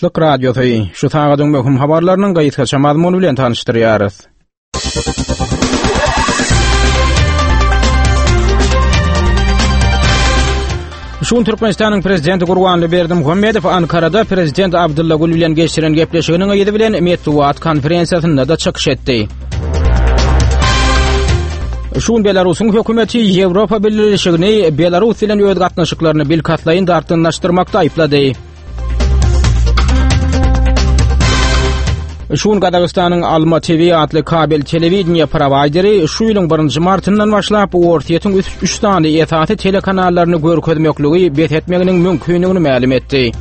Azatlyk Radiosy, şu sagadyň möhüm habarlarynyň gysgaça mazmuny bilen tanyşdyrýarys. Şu gün Türkmenistanyň Prezidenti Gurbanguly Berdimuhamedow Ankarada Prezident Abdylla Gül bilen geçiren gepleşiginiň yzy bilen metbugat konferensiýasynda-da çykyş etdi. Şu gün Belarusyň hökümeti Ýewropa Bileleşigini Belarus bilen öz gatnaşyklaryny bilkastlaýyn dartgynlaşdyrmakda aýyplady. Şu gün Gazagystanyň Alma TV atly kabel telewideniýe prowaýderi şu ýylyň birinji martyndan başlap Orsýetiň üç sany esasy telekanallaryny görkezmekligi bes etmeginiň mümkindigini mälim etdi.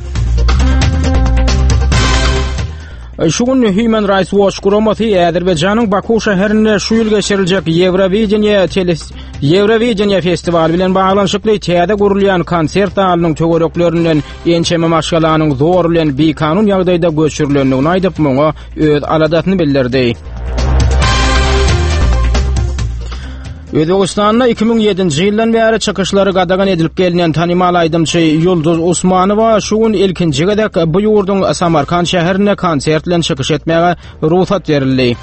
Şu gün Human Rights Watch guramasy Azerbaýjanyň Baku şäherinde şu ýyl geçiriljek Ýewrowideniýe Ýewrowideniýe festiwaly bilen baglanyşykly täze gurulýan konsert zalynyň töwereklerinden ençeme maşgalanyň zor bilen bikanun ýagdaýda göçürilendigini aýdyp, muňa öz aladasyny bildirdi. Özbegistanda 2007-nji ýyldan bäri çykyşlary gadagan edilip gelnen tanymal aýdymçy Ýulduz Usmanowa şu gün ilkinji gezek bu ýurduň Samarkand şäherinde konsert bilen çykyş etmäge rugsat berildi.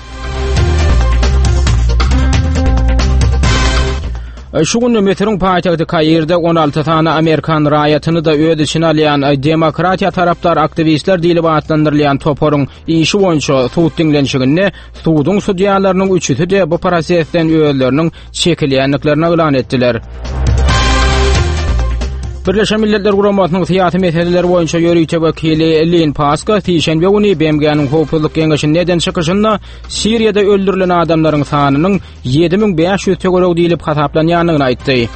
Şu gün Müsüriň paýtagty Kairde 16 sany amerikan raýatyny-da öz içine alýan demokratiýa tarapdar aktiwistler diýlip atlandyrylýan toparyň işi boýunça sud diňlenişiginde Suduň sudýalarynyň üçüsi-de bu prosesden özleriniň çekilýändiklerini yglan etdiler. Birleşen Milletler Guramasynyň syýasy meseleler boýunça ýörite wekili Lin Paska sişenbe güni BMG-niň Howpsuzlyk Geňeşinde eden çykyşynda Siriýada öldürilen adamlaryň sanynyň 7500 töweregi diýlip hasaplanýandygyny aýtdy.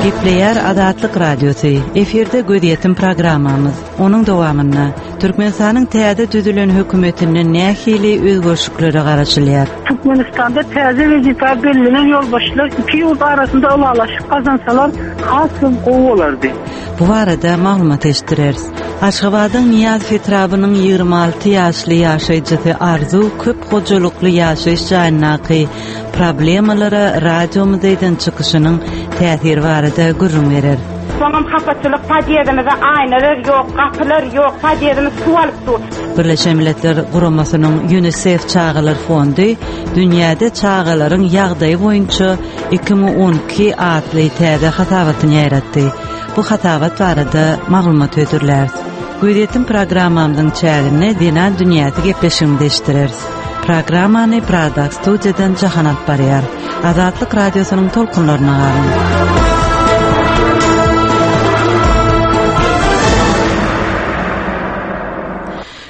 Gepleýär Azatlyk Radiosy. Efirde gözýetim programmamyz. Onuň dowamynda Türkmenistanyň täze düzülen hökümetinden nähili özgerişliklere garaşylýar? Türkmenistanda täze wezipä bellenen ýolbaşçylar iki ýurt arasynda ylalaşyk gazansalar has hem gowy bolardy. Bu barada maglumat eşitdireris. Aşgabadyň Nyýazow etrabynyň 26 ýaşly ýaşaýjysy Arzuw köp hojalykly ýaşaýyş jaýyndaky problemalara radiomyzda eden çykyşynyň täsiri barada gürrüň berer. Soňam hapaçylyk, podýezdimizde aýnalar ýok, gapylar ýok, podýezdimiz suw alyp dur. Birleşen Milletler Guramasynyň Ýunisef çagalar fondy dünýäde çagalaryň ýagdaýy boýunça 2012 atly täze hasabatyny ýaýratdy. Bu hasabat barada maglumat hödürläris. Gözýetim programmamyzyň çäginde Zenan dünýäsi gepleşigimizi eşitdireris. Programmany Pradaky studiýadan Jahan alyp barýar. Azatlyk Radiosynyň tolkunlaryna galyň.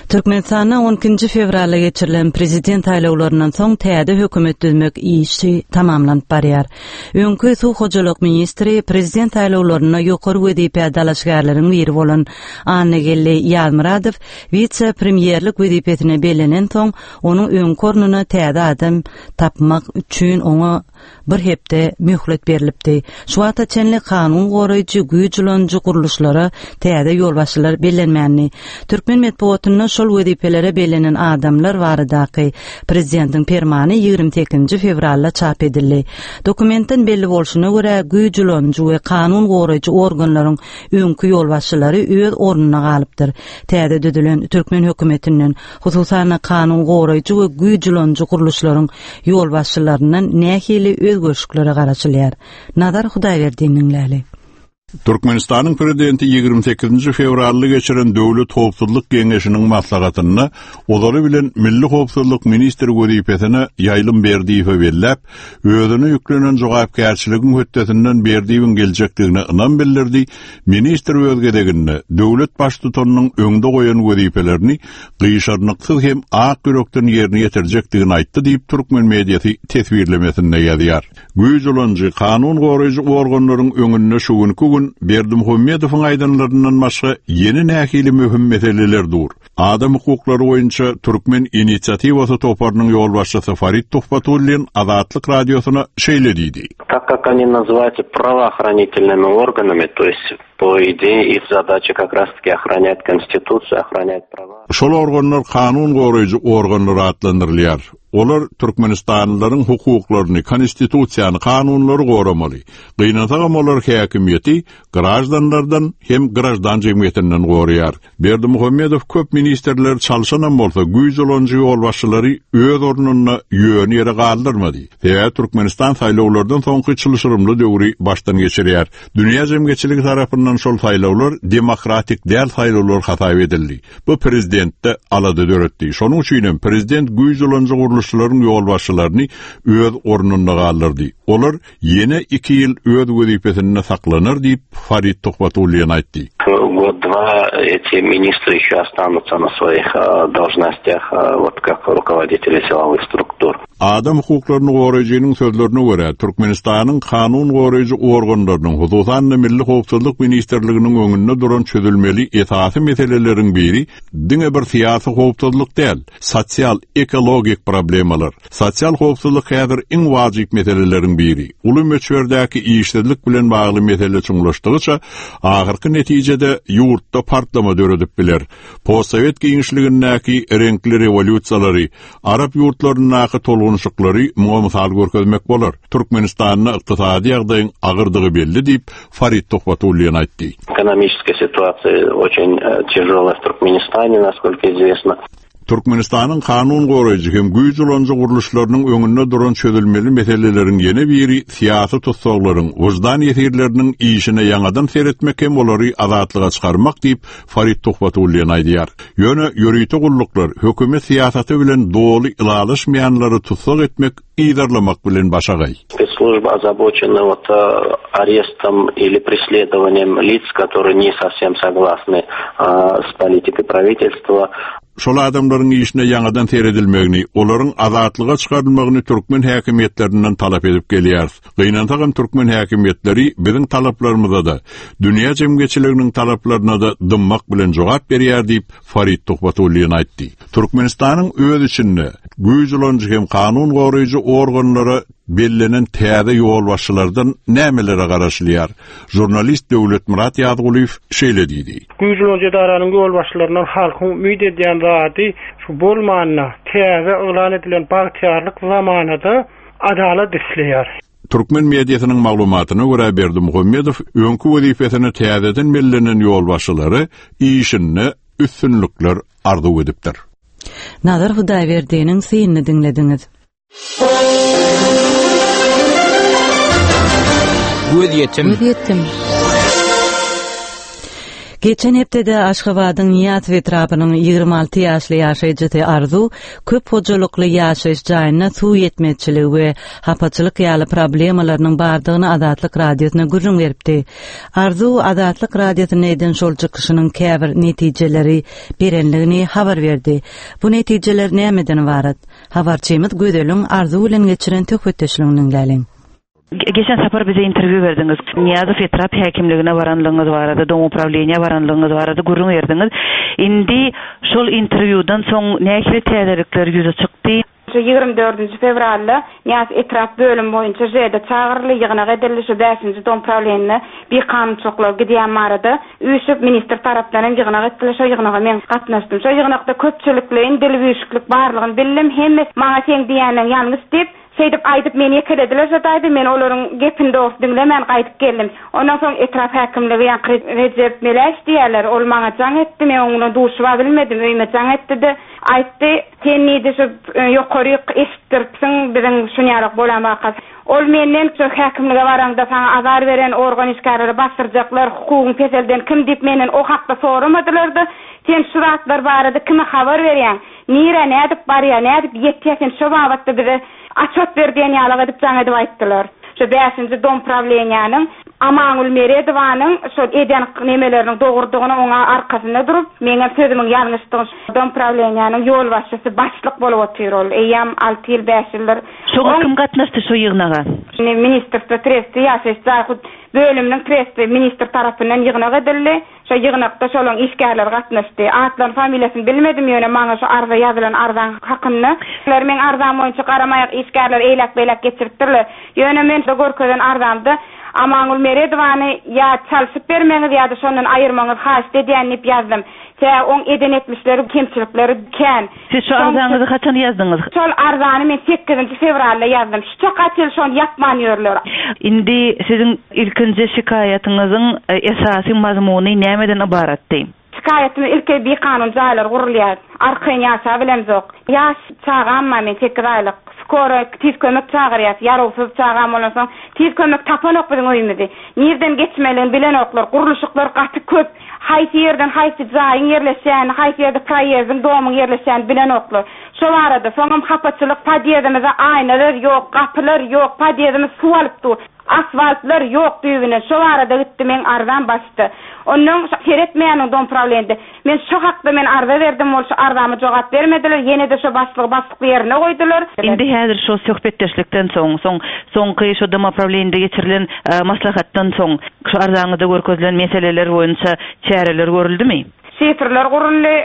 Türkmenistanda on ikinji fewralda geçirilen prezident saýlawlaryndan soň täze hökümet düzmek işi tamamlanyp barýar. Öňki suw hojalyk ministri, prezident saýlawlarynda ýokary wezipä dalaşgärleriň biri bolan Annageldi Ýazmyradow wise-premýerlik wezipesine bellenensoň, onuň öňki ornuna täze adam tapmak üçin oňa bir hepde möhlet berlipdi. Şu wagta çenli kanun goraýjy, güýç ulanyjy gurluşlara täze ýolbaşçylar bellenmändi. Türkmen metbugatynda şol wezipelere bellenen adamlar baradaky prezidentiň permany 28-nji fewralda çap edildi. Dokumentden belli bolşuna görä, güýç ulanyjy we kanun goraýjy organlaryň öňki ýolbaşçylary öz ornunda galypdyr. Täze düzülen türkmen hökümetinden, hususan-da kanun goraýjy we güýç ulanyjy gurluşlaryň ýolbaşçylaryndan nähili özgerişliklere garaşylýar? Nazar Hudaýberdiniň läli. Türkmenistanyň Prezidenti 28-nji fewralda geçiren Döwlet howpsuzlyk geňeşiniň maslahatynda ozaly bilen Milli howpsuzlyk ministri wezipesine Ýaýlym Berdiýewi belläp, özüne ýüklenen jogapkärçiligiň hötdesinden Berdiýewiň geljekdigine ynam bildirdi, ministr öz gezeginde döwlet Baştutanynyň öňde goýan wezipelerini gyşarnyksyz hem ak ýürekden ýerine ýetirjekdigini aýtdy diýip, türkmen mediasy teswirlemesinde ýazýar. Güýç ulanyjy, kanun goraýjy organlaryň öňünde şu günki gün. gün Berdimuhamedowyň aýdanlaryndan başga ýene nähili möhüm meseleler dur? Adam hukuklary boýunça Türkmen inisiatiwasy toparynyň ýolbaşçysy Farid Tuhbatullin Azatlyk Radiosyna şeýle diýdi. Tak как они называются правоохранительными органами, то есть po idee их задача как раз таки охранять konstitusiýu, охранять prava. Şol organlar kanun goraýjy organlar atlandyrylýar. Olar türkmenistanlylaryň hukuklaryny, konstitusiýany, kanunlary goramaly. Gynansagam olar häkimiýeti graždanlardan hem graždan jemgyýetinden goraýar. Berdimuhamedow köp ministrleri çalşanam bolsa, güýç ulanyjy ýolbaşçylary öz ornunda ýöne ýere galdyrmady. Sebäbi Türkmenistan saýlawlardan soňky çylşyrymly döwri başdan geçirýär. Dünýä jemgyýetçiligi tarapyndan şol saýlawlar demokratik däl saýlawlar hasap edildi. Bu prezidentde alada döretdi. Şonuň üçin hem prezident güýç ulanyjy gurluşlaryň ýolbaşçylaryny öz ornunda galdyrdy. Olar ýene iki ýyl öz wezipesinde saklanar diýip, Farid Tuhbatullin aýtdy. Год-два эти министры еще останутся на своих должностях, вот как руководители силовых структур. Adam hukuklaryny goraýjynyň sözlerine görä, Türkmenistanyň kanun goraýjy organlarynyň, hususan-da Milli howpsuzlyk ministrliginiň öňünde duran çözülmeli esasy meseleleriň biri diňe bir syýasy howpsuzlyk däl, sosial, ekologik problemalar. Sosial howpsuzlyk häzir iň wajyp meseleleriň biri. Uly möçberdäki işsizlik bilen bagly mesele çuňlaşdygyça, ahyrky netijede ýurtda partlama döredip biler. Postsowet giňişligindäki reňkli rewolýusiýalary, arap ýurtlaryndaky tolgunyşyklary muňa mysal görkezmek bolar. Türkmenistanda ykdysady ýagdaýyň agyrdygy belli diýip, Farid Tuhbatullin aýtdy. Экономическая ситуация очень тяжелая в Туркменистане, насколько известно. Türkmenistanyň kanun goraýjy hem güýç ulanyjy gurluşlarynyň öňünde duran çözülmeli meseleleriň ýene biri syýasy tussaglaryň, wyždan ýesirleriniň işine ýaňadan seretmek hem olary azatlyga çykarmak diýip, Farid Tuhbatullin aýdýar. Ýöne ýörite gulluklar hökümet syýasaty bilen doly ylalaşmaýanlary tussag etmek, yzarlamak bilen başagaý. Spetsslujba ozaboçena вот arrestom ili preslедованием lic, которые ne sowsem soglasny s politikой pravitelstva. Şol adamlaryň işine ýaňadan seredilmegini, olaryň azatlyga çykarylmagyny türkmen häkimiýetlerinden talap edip gelýäris. Gynansagam türkmen häkimiýetleri biziň talaplarymyza-da, dünýä jemgyýetçiliginiň talaplaryna-da dymmak bilen jogap berýär diýip, Farid Tuhbatullin aýtdy. Türkmenistanyň öz içinde güýç ulanyjy hem kanun goraýjy organlara bellenen täze ýolbaşçylardan nämelere garaşylýar? Žurnalist Döwletmyrat Ýazgulyýew şeýle diýdi. Güýç ulanyjy edaranyň ýolbaşçylaryndan halkyň umyt edýän zady şu bolmanda täze yglan edilen bagtyýarlyk zamanada adalat isleýär. Türkmen mediasynyň maglumatyna görä Berdimuhamedow öňki wezipesine täzeden bellenen ýolbaşçylara işinde üstünlikler arzuw edipdir. Nazar Hudaýberdiniň synyny diňlediňiz. Gözýetim. Gözýetim. Geçen hepdede Aşgabadyň Nyýazow etrapynyň 26 ýaşly ýaşaýjysy Arzuw köp hojalykly ýaşaýyş jaýynda suw ýetmezçiligi we hapaçylyk ýaly problemalarynyň bardygyny Azatlyk Radiosyna gürrüň beripdi. Arzuw Azatlyk Radiosynda eden şol çykyşynyň käbir netijeleri berenligini habar berdi. Bu netijeler nämeden ybarat? Habarçymyz Gözeliň Arzuw bilen geçiren söhbetdeşligini diňläliň. Geçen sapar bize interwýu berdiňiz. Nyýazow etrap häkimligine baranlygyňyz barada, domuprawleniýä baranlygyňyz barada gürrüň berdiňiz. Indi şol interwýudan soň nähili täzelikler ýüze çykdy? Şu 24-nji fewralda Nyýazow etrap bölümi boýunça ŽD çagyryldy, ýygnak edildi, şu bäşinji domprawleniýede bikanunçylyklar gidýän barada üýşüp, ministr tarapdan hem ýygnak etdiler, şo ýygnaga men gatnaşdym. Şo ýygnakda köpçülikleýin dilüwüşiklik barlygyny bildim, hemmesi maňa seň diýýänleň ýalňyş diýip, Şeýdip aýdyp meni ýekelediler şo taýda, men olaryň gepini dogrusu diňlemän gaýdyp geldim. Ondan soň etrap häkimligi ýaňky Rejep Meläýew diýýärler, ol maňa jaň etdi, men oň bilen duşuba bilmedim, öýüme jaň etdi-de, aýtdy, sen diýdi şu ýokaryk eşitdiripsiň biziň şunýalak bolan wakasy. Ol menden şu häkimlige baraňda saňa azar beren organ işgärleri basdyrjaklar, hukugyň peselden kim diýip menden o hakda soramadylar-da, sen şu zatlar barada kime habar berýäň? Nirä nädip barýa, nädip ýetýä sen şo babatda bize açot ber diýen ýalak edip jaň edip aýtdylar. Şo bäşinji dom prawleniýäniň. Amangül Meredowanyň şol eden nemeleriniň dogrudygyny oňa arkasynda durup, meňem sözümiň ýalňyşdygyny domprawleniýäniň ýolbaşçysy başlyk bolup otyr ol eýýäm alty ýyl bäş ýyldyr. Şoňa kim gatnaşdy şo ýygnaga? Ministrstwo tresti ýaşaýyş jaý hut bölüminiň tresti ministr tarapyndan ýygnak edildi. Şo ýygnakda şolaň işgärleri gatnaşdy. Atlaryny familiýasyny bilmedim ýöne maňa şo arza ýazylan arzaň hakynda. Ler meň arzam boýunça garamaýak işgärler eýläk-beýläk geçiripdirler. Ýöne men şo görkezen arzamda Amangül Meredowany ýa çalşyp bermegiňizi ýa-da şondan aýyrmagyňyzy haýyşt edýän diýip ýazdym. Sebäbi oň eden etmişleri, kemçilikleri kän. Siz şu arzaňyzy haçan ýazdyňyz? Şol arzany men sekizinji fewralda ýazdym. Şu çaka çenli şony ýapman ýörler. Indi siziň ilkinji şikaýatyňyzyň esasy mazmuny nämeden ybaratdy? Şikaýatym ilki bikanun jaýlar gurulýar. Arkaýyn ýaşabilemzok. Ýaş çagam bar men sekiz aýlyk. Skora tiz kömek çagyrýas. Ýarawsyz çagam bolansoň tiz kömek tapanok biziň öýümizi. Nirden geçmelidigini bilenoklar. Gurluşyklar gaty köp. Haýsy ýerden haýsy jaýyň ýerleşýänini, haýsy ýerde proýezdiň, domyň ýerleşýänini bilenoklar. Şo barada, soňam hapaçylyk, podýezdimizde aýnalar ýok, gapylar ýok, podýezdimiz suw alyp dur. Asfaltlar ýok düýbünden. Şo barada gitdi meň arzam başda. Onnoň seretmeýäniň domprawleniýede. Men şo hakda men arza berdim ol şo arzama jogap bermediler ýenede şo başlygy başlykly ýerine goýdular. Indi häzir şo söhbetdeşlikden soň, soň soňky şo domoprawleniýede geçirilen maslahatdan soň şo arzaňyzda görkezilen meseleler boýunça çäreler görüldimi? Şifrler guruldy,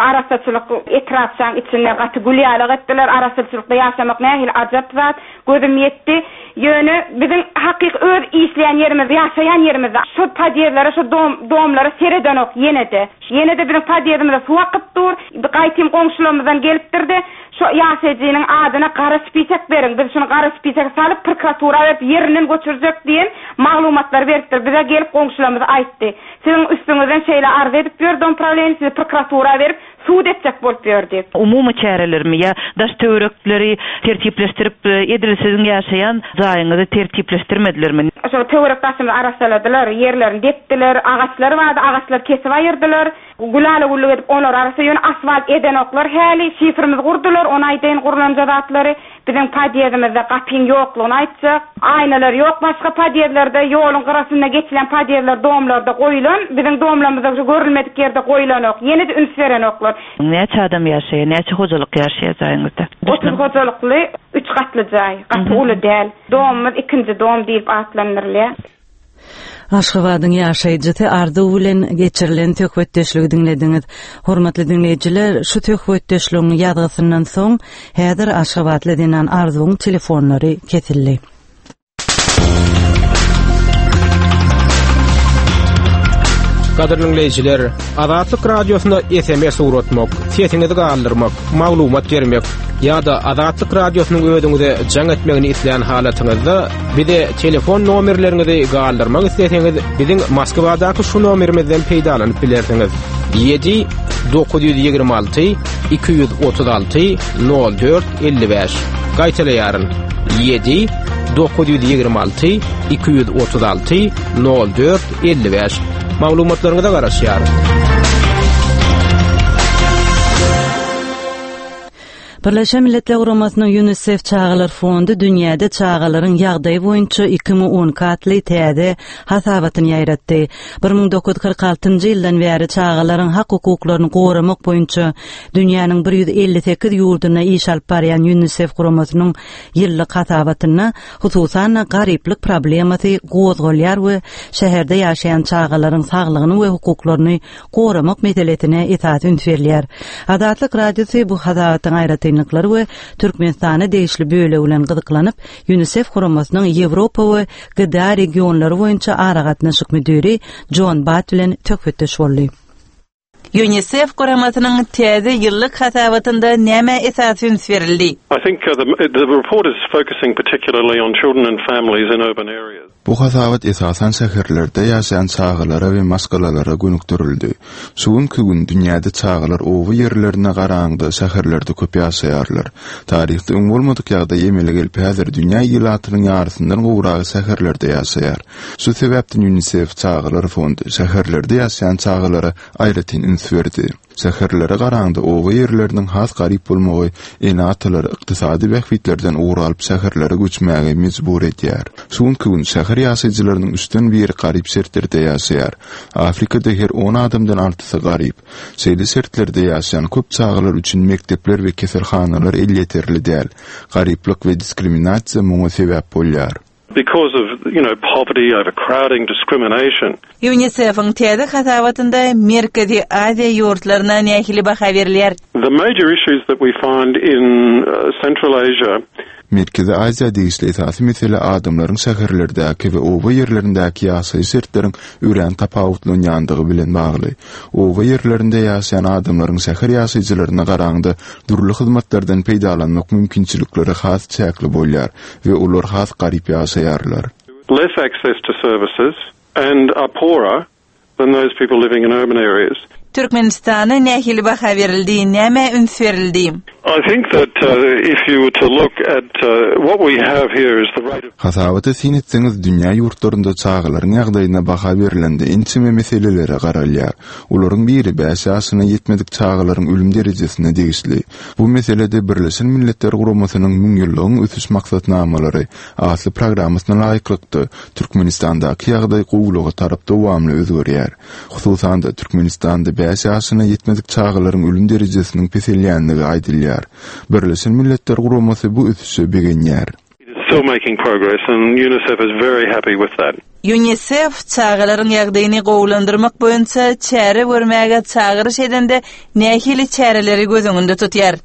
arassaçylyk etrapçaň içinde gaty gül ýalak etdiler, arassaçylykda ýaşamak nähili ajap zat, gözüm ýetdi. Ýöne biziň hakyky öz işleýän ýerimiz, ýaşaýan ýerimizde şo podýezdlere, şo dom, domlara seredenok ýene-de. Ýene-de biziň podýezdimize suw akyp dur. Gaýtym goňşularymyzdan gelipdir-de, şo ýaşaýjynyň adyna gara spisek beriň, biz şuny gara spisege salyp, prokuratura berip, ýerinden göçürjek diýen maglumatlary beripdir. Bize gelip goňşularymyz aýtdy. Siziň üstüňizden şeýle arz edip ýör domprawleniýe, sizi prokuratura berip, sud etjek bolup ýör diýip. Umumy çärelermi ýa daş-töwerekleri tertipleşdirip, edil siziň ýaşaýan jaýyňyzy tertipleşdirmedilermi? Şol töwerek-daşymyzy arassaladylar, ýerlerini depdiler, agaçlar bardy, agaçlary kesip aýyrdylar. Gülala-güllük edip olary arassa, ýöne asfalt edenoklar häli, şifrimizi gurdular, ony aýdaýyn gurlanja zatlary. Biziň podýezdimizde gapyň ýoklugyny aýtjak. Aýnalar ýok başga podýezdlerde, ýoluň gyrasynda geçilýän podýezdler domlarda goýulan, biziň domlarymyzda şu görülmedik ýerde goýulanok. Ýene-de üns berenoklar. Näçe adam ýaşaýar, näçe hojalyk ýaşaýar jaýyňyzda? 30 hojalykly, üç gatly jaý. Gaty uly däl. Domumyz ikinji dom diýlip atlandyrylýar. Aşgabadyň ýaşaýjysy Arzuw bilen geçirilen söhbetdeşligi diňlediňiz. Hormatly diňleýjiler, şu söhbetdeşligiň ýazgysyndan soň, häzir aşgabatly zenan Arzuwyň telefonlary kesildi. Gadyrly diňleýjiler, Azatlyk Radiosyna SMS ugratmak, sesiňizi galdyrmak, maglumat bermek ýa-da Azatlyk Radiosynyň özüňize jaň etmegini islän halatyňyzda bize telefon nomerleriňizi galdyrmak isleseňiz, biziň Moskwadaky şu nomerimizden peýdalanyp bilersiňiz. 7 926 236 04 55. Gaýtalaýaryn. 7 926 236 04 55. Maglumatlaryňyza garaşýarys. Birleşen Milletler Guramasynyň Ýunisef çagalar fondy dünýäde çagalaryň ýagdaýy boýunça 2012 atly täze hasabatyny ýaýratdy. 1946-njy ýyldan bäri çagalaryň hak-hukuklaryny goramak boýunça dünýäniň 158 ýurdunda iş alyp barýan Ýunisef guramasynyň ýyllyk hasabatynda Hususan-da, garyplyk problemasy gozgalýar we şäherde ýaşaýan çagalaryň saglygyny we hukuklaryny goramak meselesine esasy üns berilýär. Azatlyk Radiosy bu hasabatyň aýratynlyklary we Türkmenistana degişli bölegi bilen gyzyklanyp, Ýunisef guramasynyň Ýewropa we GDA regionlary boýunça aragatnaşyk müdiri Jon Batt bilen söhbetdeş boldy. Ýunisef guramasynyň täze ýyllyk hasabatynda nämä esasy üns berildi? I think the report is focusing particularly on children and families in urban areas. Bu hasabat esasan şäherlerde ýaşaýan çagalara we maşgalalara gönükdirildi. Şu günki gün dünýäde çagalar oba ýerlerine garanyňda şäherlerde köp ýaşaýarlar. Taryhda öň bolmadyk ýagdaý emele gelip häzir dünýä ilatynyň ýarysyndan gowragy şäherlerde ýaşaýar. Şu sebäpden Ýunisef çagalar fondy şäherlerde ýaşaýan çagalara aýratyn üns. üns berdi. Şäherlere garaňda oba ýerleriniň has garyp bolmagy ene-atalary ykdysady bähbitlerden ugur alyp şäherlere göçmäge mejbur edýär. Şu günki gün şäher ýaşaýjylarynyň üçden biri garyp şertlerde ýaşaýar. Afrikada her on adamdan altysy garyp. Şeýle şertlerde ýaşaýan köp çagalar üçin mekdepler we keselhanalar elýeterli däl. Garyplyk we diskriminasiýa muňa sebäp bolýar. Because of, you know, poverty, overcrowding, discrimination. UNICEF-iň täze hasabatynda Merkezi Aziýa ýurtlaryna nähili baha berilýär? The major issues that we find in Central Asia. Merkezi Aziýa degişli esasy mesele adamlaryň şäherlerdäki we oba ýerlerindäki ýaşaýyş şertleriň örän tapawutlanýandygy bilen bagly. Oba ýerlerinde ýaşaýan adamlaryň şäher ýaşaýjylaryna garaňda dürli hyzmatlardan peýdalanmak mümkinçilikleri has çäkli bolýar we olar has garyp ýaşaýarlar. Less access to services and are poorer than those people living in urban areas. Türkmenistana nähili baha berildi, nämä üns berildi? I think that if you were to look at what we have here is the rate of. Hasabata syn etseňiz, dünýä ýurtlarynda çagalaryň ýagdaýyna baha berlende ençeme meselelere garalýar. Olaryň biri bäş ýaşyna ýetmedik çagalaryň ölüm derejesine degişli. Bu meselede Birleşen Milletler Guramasynyň Müňýyllygyň ösüş maksatnamalary atly programmasyna laýyklykda, Türkmenistandaky ýagdaý gowulyga tarap dowamly özgerýär. Hususan-da, Türkmenistanda bäş ýaşyna ýetmedik çagalaryň ölüm derejesiniň peselýändigi aýdylýar. Birleşen Milletler Guramasy bu ösüşe begenýär. UNICEF çagalaryň ýagdaýyny gowulandyrmak boýunça çäre görmäge çagyryş edende nähili çäreleri göz öňünde tutýar?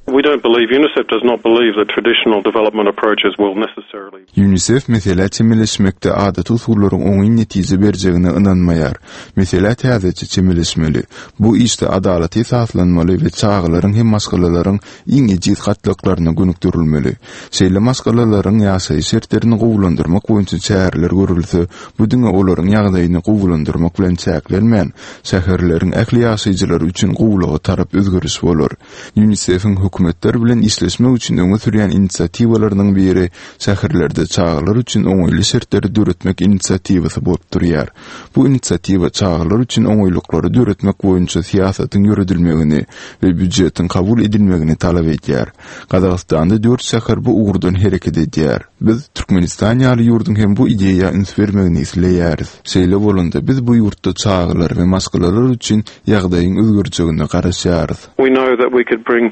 UNICEF meselä çemeleşmekde adaty usullaryň oňyn netije berjegine ynanmaýar. Meselä täzeçe çemeleşmeli. Bu işde adalata esaslanmaly we çagalaryň hem maşgalalaryň iň ejiz gatlaklaryna gönükdirilmeli. Şeýle maşgalalaryň ýaşaýyş şertlerini gowulandyrmak boýunça çäreler görülse, bu diňe olaryň ýagdaýyny gowulandyrmak bilen çäklenmän, şäherleriň ähli ýaşaýjylary üçin gowulyga tarap özgeriş bolar. UNICEF-iň hökümetler bilen işleşmek üçin öňe sürýän inisiatiwalarynyň biri şäherlerde çagalar üçin oňaýly şertleri döretmek inisiatiwasy bolup durýar. Bu inisiatiwa çagalar üçin oňaýlyklary döretmek boýunça syýasatyň ýöredilmegini we býujetiň kabul edilmegini talap edýär. Gazagystanda dört şäher bu ugurdan hereket edýär. Biz Türkmenistan ýaly ýurduň hem bu ideýa üns bermegini isleýäris. Şeýle bolanda, biz bu ýurtda çagalar we maşgalalar üçin ýagdaýyň özgerjegine garaşýarys. We know that we could bring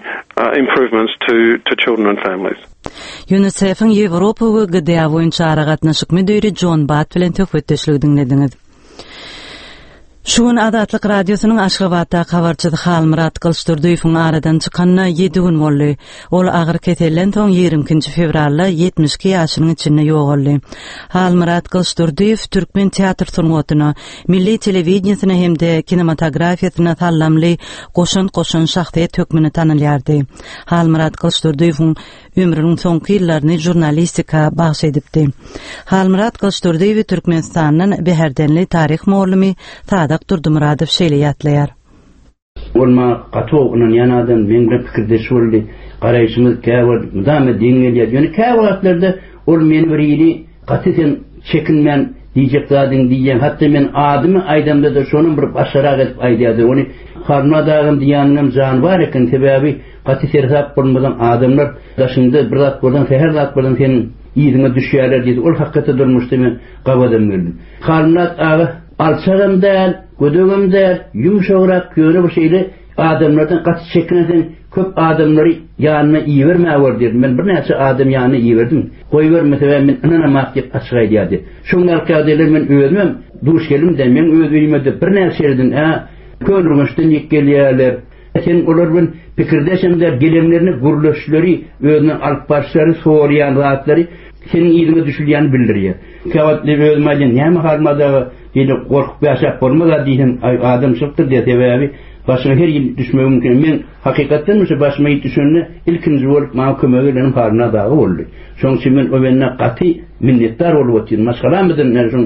improvements to to children and families. UNICEF-iň Ýewropa we GDA boýunça aragatnaşyk müdiri Jon Batt bilen söhbetdeşligi diňlediňiz. Şu gün Azatlyk Radiosynyň Aşgabatdaky habarçysy Halmyrat Gylyçdurdyýewiň aradan çykanyna ýedi gün boldy. Ol agyr keselden soň 22-nji fewralda 72 ýaşynyň içinde ýogaldy. Halmyrat Gylyçdurdyýew türkmen teatr sungatyna, milli telewideniýesine hem-de kinematografiýasyna sallamly goşant goşan şahsyýet hökmünde tanalýardy. Halmyrat Gylyçdurdyýewiň ömrüniň soňky ýyllaryny žurnalistika bagyş edipdi. Halmyrat Gylyçdurdyýewi Türkmenistandan bäherdenli taryh mugallymy Sadak Durdymyradow şeýle ýatlaýar. Ol maňa gaty gowy ynanýan adam, meň bilen pikirdeş boldy. Garaýşymyz käwagt mydama deň gelýärdi. Ýöne käwagtlarda ol meni bir hili gaty sen çekinmän diýjek zadyňy diýýäň. Hatda men adymy aýdamda-da şonam bir başgarak edip aýdýardy. Ony Halmyrat agam diýýäniňem jany bar eken. Sebäbi gaty seresap bolmasaň adamlar daşyňda bir zat bolsaň, sähel zat bolsaň seniň yzyňa düşýärler diýdi. Ol hakykatda durmuşda men gabadam geldim. Halmyrat aga alçagam däl, Gödegem däl, ýumşagrak, ýöne bir şeýle adamlardan gaty çekinenseň, köp adamlary ýanyna ibermäwer diýerdim. Men birnäçe adamy ýanyna iberdim. Goýberme, sebäbi men ynanamak diýip açyk aýdýardy. Şoň ýaly ýagdaýlara men özümem duş geldim-de, meň öz öýüme-de birnäçe ýerden, ä, Köneürgençden ýek gelýärler. Sen olar bilen pikirdeşem däl, gelenlerine gürleşleri, özüni alyp barşlary, soraýan zatlary seniň yzyňa düşülýänini bildirýär. Käwagt men özüm aýdýan, näme Halmyrat aga, beýle gorkup ýaşap bolmaz-a diýsem, aý, adamçylykdyr diýýär, sebäbi başyňa her ýyl düşmegi mümkin. Men hakykatdan şu başyma il düşende ilkinji bolup maňa kömege gelenim Halmyrat aga boldy. Şonuň üçin men o bende gaty minnetdar bolup otyryn. Maşgalamyzam ýani şoň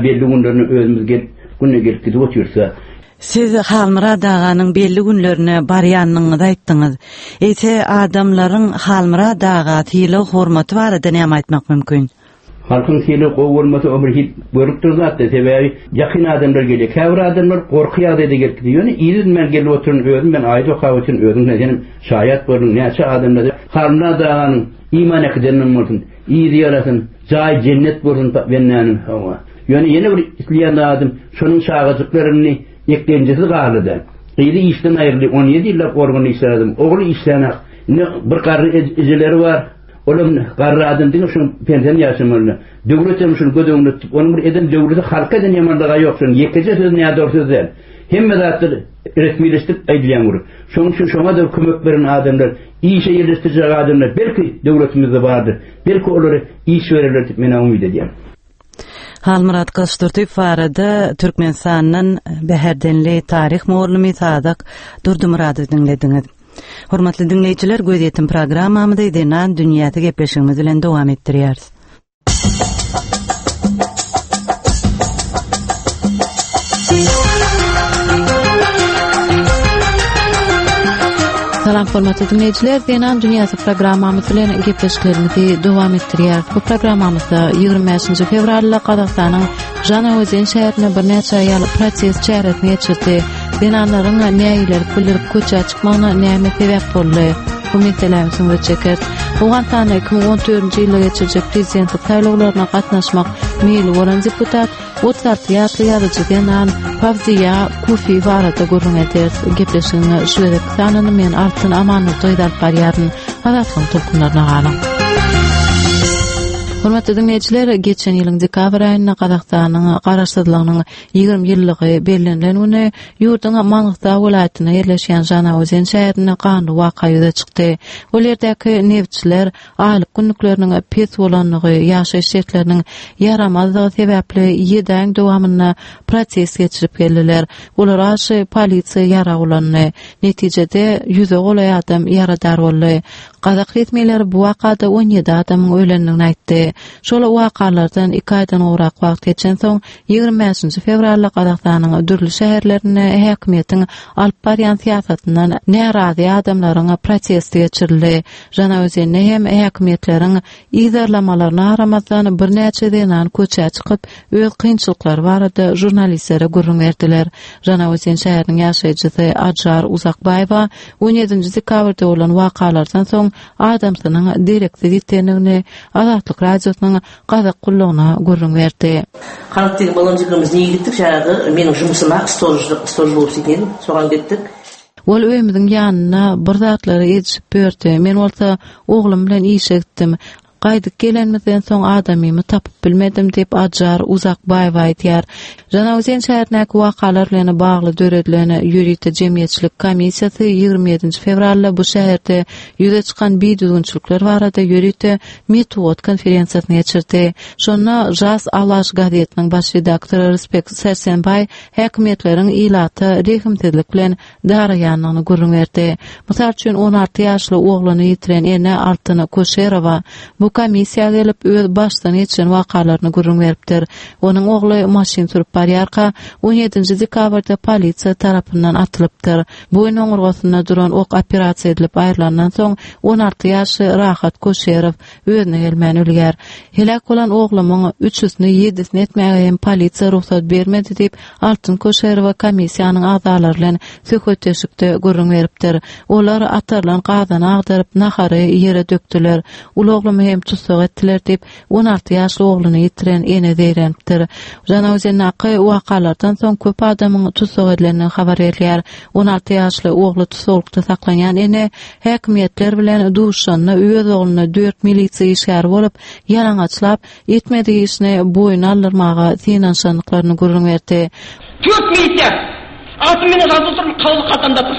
belli günlerine özümiz gelip, günde gelip gidip otyrys-a. Siz Halmyrat aganyň belli günlerine barýanyňyzy aýtdyňyz. Eýse, adamlaryň Halmyrat aga sylag-hormaty barada näme aýtmak mümkin? Halkyň sylagy gowy bolmasa o bir hil görüp dur zatda sebäbi ýakyn adamlar gelýär. Käbir adamlar gorky ýagdaýda gelip gidýär. Ýöne yzy men gelip oturan özüm men aýat okap oturyn özüň senem şaýat bolduň näçe adamlar Halmyrat aganyň iman äkidenim bolsun yzy ýarasyn jaýy jennet bolsun bendäniň hawa. Ýöne ýene bir isleýän zadym şonuň çagajyklaryny eklenjisi galdy-da. Gyzy işden aýryldy 17 ýyllap organda işlän adam ogly işlänok. Indi bir garry ejeleri bar. Olam garry adam diňe şuň pensiýany ýaşamaly. Döwlet hem şuny göz öňünde tutup, onuň bir eden döwleti halka eden ýamanlygy ýok şonuň ýekeje sözi nädogry söz däl. Hemme zatlar resmileşdirip aýdylýan gürrüň. Şonuň üçin şoňa-da kömek beren adamlar, işe ýerleşdirjek adamlar belki döwletimizde bardyr. Belki olara iş bererler diýip men umyt edýän. Halmyrat Gylyçdurdyýew barada Türkmenistandan Bäherdenli taryh mugallymy Sadak Durdymyradowy diňlediňiz. Hormatly diňleýjiler, gözýetim programmamyzy Zenan dünýäsi gepleşigimiz bilen dowam etdirýäris. Salam hormatly diňleýjiler, Zenan dünýäsi programmamyz bilen gepleşiklerimizi dowam etdirýäris. Bu programmamyzda 25-nji fewralda Gazagystanyň Žanaozen şäherinde birnäçe aýal protest çäresini geçirdi. Zenanlaryň nägilelik bildirip köçä çykmagyna näme sebäp boldy? Bu meselä ünsüňizi çekeris. Owganystanda 2014-nji ýylda geçiriljek prezidentlik saýlawlaryna gatnaşmak meýli bolan deputat 36 ýaşly ýazyjy zenan Fawziýa Kufi barada gürrüň ederis. Gepleşigiň şu gezekki sanyny men Altyn Amandurdyýewa alyp barýaryn. Azatlygyň tolkunlaryna galyň. Hormatly diňleýjiler, geçen ýylyň dekabr aýynda Gazagystanyň Garaşsyzlygynyň 20 ýyllygy bellenilen güni ýurduň Mangystau welaýatynda ýerleşýän Žanaozen şäherinde ganly waka ýüze çykdy. Ol ýerdäki nebitçiler aýlyk günlükleriniň pes bolandygy, ýaşaýyş şertleriniň ýaramazdygy sebäpli ýedi aýyň dowamynda protest geçirip geldiler. Olara garşy polisiýa ýarag ulandy. Netijede, ýüze golaý adam ýaradar boldy. Gazak resmileri bu wakada 17 adamyň ölendigini aýtdy. Şol wakalardan iki aýdan gowrak wagt geçensoň, 25-nji fewralda Gazagystanyň dürli şäherlerinde häkimiýetiň alyp barýan syýasatyndan närazy adamlaryň protesti geçirildi. Žanaozende hem häkimiýetleriň yzarlamalaryna garamazdan, birnäçe zenan köçä çykyp, öz kynçylyklary barada žurnalistlere gürrüň berdiler. Žanaozen şäheriniň ýaşaýjysy Ajar Uzakbaýewa 17-nji dekabrda bolan wakalardan soň adamsynyň dereksiz ýitendigini Azatlyk Radiosynyň Gazak gullugyna gürrüň berdi. Halyk diýen balam jigimiz nege gitdik жаңағы менің жұмысыма сторож болып істейтін едім соған кеттік. Ol öýümiziň ýanynda bir zatlary edişip ýördi. Men bolsa oglum bilen işe gitdim. Gaýdyp gelenimizden soň adamymy tapyp bilmedim diýip, Ajar Uzakbaýewa aýdýar. Žanaozen şäherindäki wakalar bilen bagly döredilen ýörite jemgyýetçilik komissiýasy 27-nji fewralda bu şäherde ýüze çykan bidüzgünçilikler barada ýörite metbugat konferensiýasyny geçirdi. Şonda Žas Alaş gazetiniň baş redaktory Ryspek Särsenbaý häkimiýetleriň ilata rehimsizlik bilen daraýandygyny gürrüň berdi. Mysal üçin, 16 ýaşly ogluny ýitiren ene Altyn Koşerowa bu komissiýa gelip, öz başdan geçiren wakalaryny gürrüň beripdir. Onuň ogly maşyn sürüp barýarka, 17-nji dekabrda polisiýa tarapyndan atylypdyr. Boýun oňurgasynda duran ok operasiýa edilip aýrylandan soň, 16 ýaşly Rahat Koşerow özüne gelmän ölýär. Heläk bolan oglumyň üçüsini ýedisini etmäge hem polisiýa rugsat bermedi diýip, Altyn Koşerowa komissiýanyň agzalary bilen söhbetdeşlikde gürrüň beripdir. Olar atarylan gazany agdaryp, nahary ýere dökdüler. Uly oglumy hem tussag etdiler diýip, 16 ýaşly ogluny ýitiren ene zeýrenipdir. Žanaozendaky wakalardan soň köp adamyň tussag edilendigi habar berilýär. 16 ýaşly ogly tussaglykda saklanýan ene häkimiýetler bilen duşuşanda öz ogluna dört milisiýa işgäri bolup, ýalaňaçlap, etmedik işini boýun aldyrmaga synanyşandyklaryny gürrüň berdi. Tört milisiýa! Altyn menen razy oturyn, kagyzy kaltamda tur.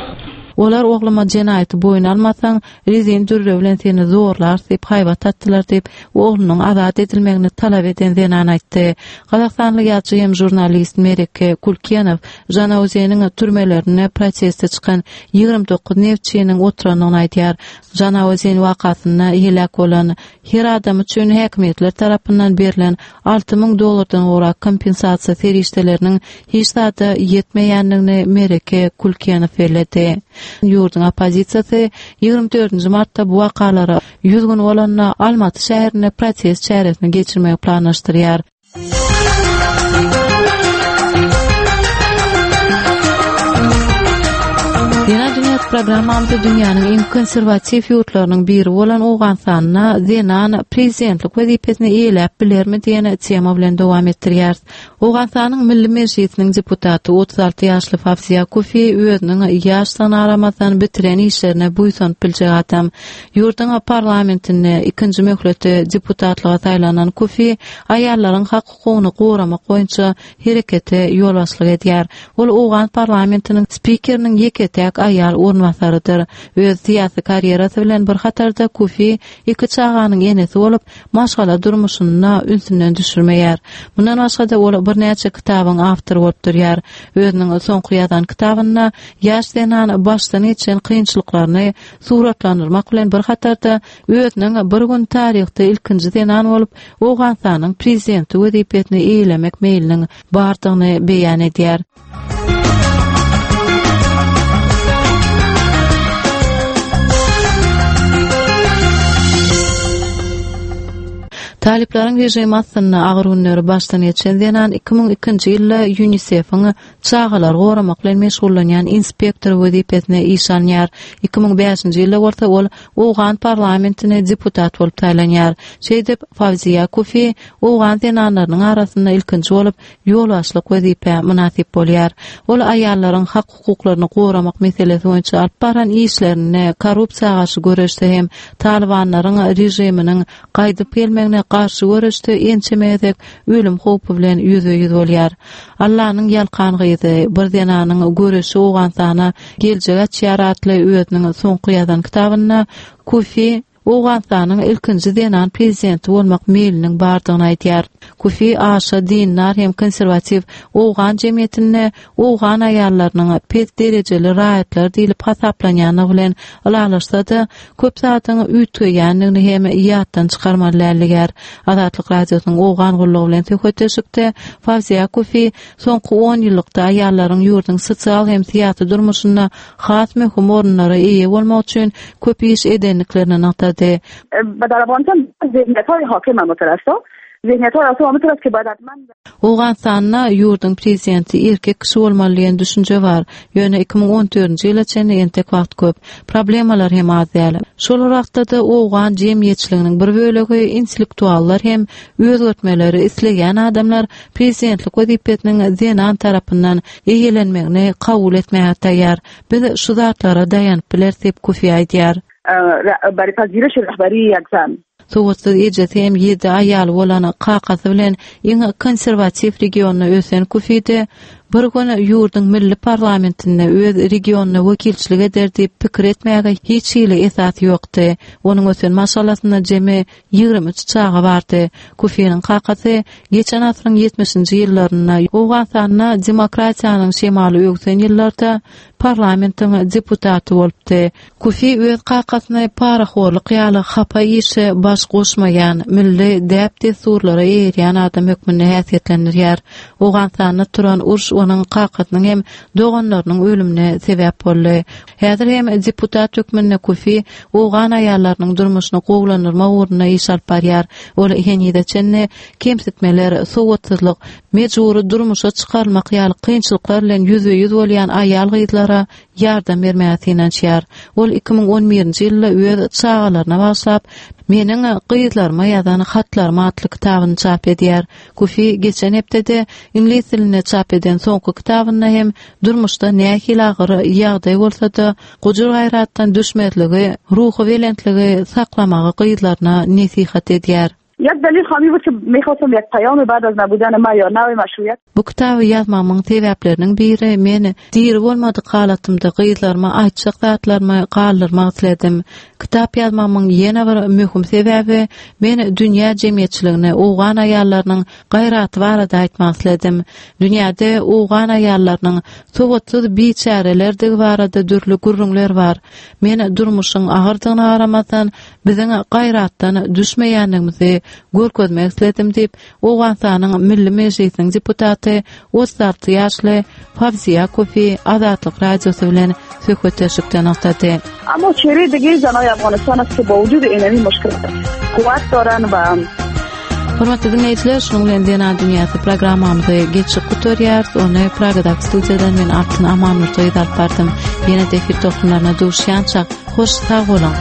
Olar ogluma jenaýaty boýun almasaň, rezin dürre bilen seni zorlarys diýip haýbat atdylar diýip, oglunyň azat edilmegini talap eden zenan aýtdy. Gazagystanly ýazyjy hem žurnalist Mereke Kulkenow Žanaozeniň türmelerinde proteste çykan 29 neftçiniň oturandygyny aýdýar. Žanaozen wakasynda heläk bolan her adam üçin häkimiýetler tarapyndan berlen 6000 dollardan gowrak kompensasiýa serişdeleriniň hiç zada ýetmeýändigini Mereke Kulkenow belledi. Ýurduň oppozisiýasy 24-nji martda bu wakalara 100 gün bolanda Almaty şäherinde protest çäresini geçirmegi planlaşdyrýar. Zenan dünýäsi programmamyzda dünýäniň iň konserwatiw ýurtlarynyň biri bolan Owganystanda zenan prezidentlik wezipesini eýeläp bilermi diýen tema bilen dowam etdirýäris. Owganystanyň Milli Mejlisiniň deputaty 36 ýaşly Fawziýa Kufi özüniň ýaşdygyna garamazdan bitiren işlerine buýsanyp biljek adam. Ýurduň parlamentinde ikinji möhlete deputatlyga saýlanan Kufi aýallaryň hak-hukugyny goramak boýunça herekete ýolbaşçylyk edýär. Ol owgan parlamentiniň spikeriniň ýeke-täk aýal orunbasarydyr. Öz syýasy karýerasy bilen bir hatarda Kufi iki çaganyň enesi bolup, maşgala durmuşyny-da ünsünden düşürmeýär. Mundan başga-da ol birnäçe kitabyň awtory bolup durýar. Özüniň soňky ýazan kitabynda ýaş zenan başdan geçen kynçylyklaryny suratlandyrmak bilen bir hatarda özüniň bir gün taryhda ilkinji zenan bolup Owganystanyň prezidenti wezipesini eýelemek meýliniň bardygyny beýan edýär. Talyplaryň režimi astynda agyr günleri başdan geçen zenan 2002-nji ýylda UNICEF-iň çagalary goramak bilen meşgullanýan inspektory wezipesine işe alynýar. 2005-nji ýylda bolsa ol owgan parlamentine deputat bolup saýlanýar. Şeýdip, Fawziýa Kufi owgan zenanlarynyň arasynda ilkinji bolup ýolbaşçylyk wezipä mynasyp bolýar. Ol aýallaryň hak-hukuklaryny goramak meselesi boýunça alyp baran işlerinde korrupsiýa garşy göreşde hem talybanlaryň režiminiň gaýdyp gelmegine garşy göreşde ençeme gezek ölüm howpy bilen ýüzbe-ýüz bolýar. Allanyň ýalkan gyzy, bir zenanyň göreşi Owganystana geljek açýar atly özüniň soňky ýazan kitabynda Kufi Owganystanyň ilkinji zenan prezidenti bolmak meýliniň bardygyny aýdýar. Kufi aşa dindar hem konserwatiw owgan jemgyýetinde owgan aýallarynyň pes derejeli raýatlar diýlip hasaplanýandygy bilen ylalaşsa-da, köp zadyň üýtgeýändigini hem ýatdan çykarmaly däl diýýär. Azatlyk Radiosynyň Owgan gullugy bilen söhbetdeşlikde Fawziýa Kufi soňky on ýyllykda aýallaryň ýurduň sosial hem syýasy durmuşynda has möhüm orunlara eýe bolmak üçin köp iş edendiklerini nygtady. Owganystanda ýurduň prezidenti erkek kişi bolmaly diýen düşünje bar. Ýöne 2014-nji ýyla çenli entek wagt köp. Problemalar hem az däl. Şol bir wagtda-da owgan jemgyýetçiliginiň bir bölegi intellektuallar hem özgertmeleri isleýän adamlar prezidentlik wezipesiniň zenan tarapyndan eýelenmegini kabul etmäge taýýar. Biz şu zatlara daýanyp bileris diýip, Kufi aýdýar. Sowatsyz ejesi hem ýedi aýaly bolan kakasy bilen iň konserwatiw regionda ösen Kufide bir gün ýurduň milli parlamentinde öz regionyna wekilçilik eder diýip pikir etmäge hiç hili esas ýokdy. Onuň ösen maşgalasynda jemi 23 çaga bardy. Kufiniň kakasy geçen asyryň ýetmişinji ýyllarynda Owganystanda demokratiýanyň şemaly öwsen ýyllarda parlamentiň deputaty bolupdy. Kufi öz kakasyny parahorluk ýaly hapa işe baş goşmaýan, milli däp-dessurlara eýerýän adam hökmünde häsiýetlendirýär. Owganystanda turan uruş onuň kakasynyň hem doganlarynyň ölümine sebäp boldy. Häzir hem deputat hökmünde Kufi owgan aýallarynyň durmuşyny gowulandyrmak ugrunda iş alyp barýar. Ol henize çenli kemsitmeler, sowatsyzlyk, mejbury durmuşa çykarylmak ýaly kynçylyklar bilen ýüzbe-ýüz bolýan aýal-gyzlara ýardam bermäge synanyşýar. Ol 2011-nji ýylda öz çagalaryna bagyşlap, Meniň gyzlaryma ýazan hatlarym atly kitabyny çap edýär. Kufi geçen hepdede iňlis dilinde çap eden soňky kitabynda hem durmuşda nähili agyr ýagdaý bolsa-da, gujur-gaýratdan düşmezligi, ruhubelentligi saklamagy gyzlaryna nesihat edýär. Bu kitaby ýazmagymyň sebäpleriniň biri men diri bolmadyk halatymda gyzlaryma aýtjak zatlarymy galdyrmak isledim. Kitap ýazmagymyň ýene bir möhüm sebäbi men dünýä jemgyýetçiligine owgan aýallarynyň gaýraty barada aýtmak isledim. Dünýäde owgan aýallarynyň sowatsyz biçärelerdigi barada dürli gürrüňler bar. Men durmuşyň agyrdygyna garamazdan, biziň gaýratdan düşmeýändigimizi görkezmek isledim diýip, Owganystanyň Milli Mejlisiniň deputaty 36 ýaşly Fawziýa Kofi Azatlyk Radiosy bilen söhbetdeşlikde nygtady. Ammo çehre dige zanay Afghanistan است که با وجود اینمی مشکلات قوت دارن و Hormatly diňleýjiler, şunuň bilen Zenan dünýäsi programmamyzy geçip gutarýarys. Ony Pragadaky studiýadan men Altyn Amanmurtaýew alyp bardym. Ýene-de efir tolkunlaryna duşýançak, hoş sag boluň!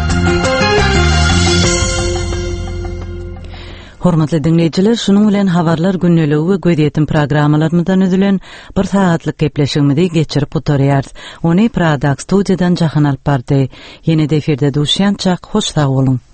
Hormatly diňleýjiler, şunuň bilen Habarlar gündeligi we Gözýetim programmalarymyzdan üzülen bir sagatlyk gepleşigimizi geçirip gutarýarys. Ony Pragadaky studiýadan Jahan alyp bardy. Ýene-de efirde duşýançak, hoş sag boluň!